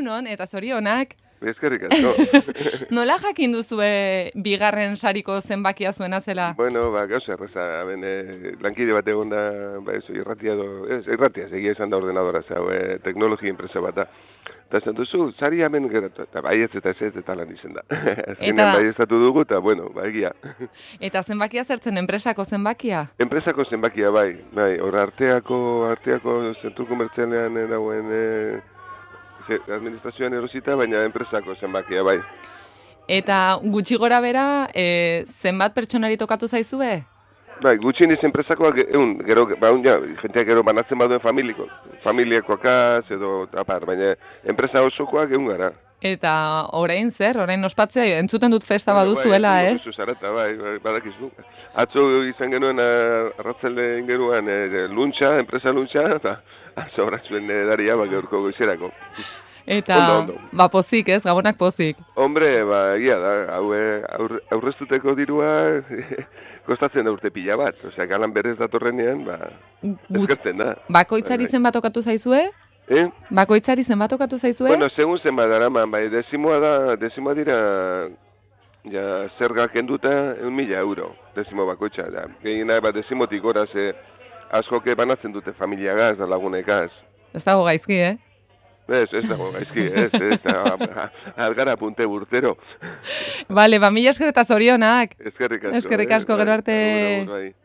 Egunon, eta zorionak. Eskerrik asko. Nola jakin duzue bigarren sariko zenbakia zuena zela? Bueno, gauza erreza, lankide bat egon da, irratia, segia esan da ordenadora, teknologia enpresa bat da. Eta esan duzu, sari hemen geratu, eta baietz eta ez eta lan izen da. Azkenean baieztatu dugu, eta bueno, egia. Eta zenbakia zertzen, enpresako zenbakia? Enpresako zenbakia, bai, hor arteako zentru komertzialean dagoen administrazioan erosita, baina enpresako zenbakia, bai. Eta gutxi gora bera, zenbat pertsonari tokatu zaizue? Bai, gutxieniz enpresakoak, jenteak gero banatzen baduen familiakoakaz, edo apar, baina enpresa osokoak egun gara. Eta orain zer, orain ospatzea, entzuten dut festa baduzuela, ez? Bai, zarata, badakizu. Atzo izan genuen arratzelde ingeruan luntxa, enpresa luntxa, eta zobratzuen daria, gaurko goizerako. Eta, pozik, ez? Gabonak pozik. Hombre, egia da, aurreztuteko dirua kostatzen da urte pila bat. Osea, galan berez datorrenean, eskertzen da. Bakoitzari zenbat tokatu zaizue? Bakoitzari zenbat tokatu zaizue? Bueno, segun zenbat daraman, desimoa dira, zergak kenduta 1.000 euro, desimo bakoitza. Gehiena, desimotik gora, askoke banatzen dute familiagaz, lagunekaz. Ez dago gaizki, Ez dago gaizki, algara punte burtero. Bale, mila esker eta zorionak. Eskerrik asko. Eskerrik asko, gero arte.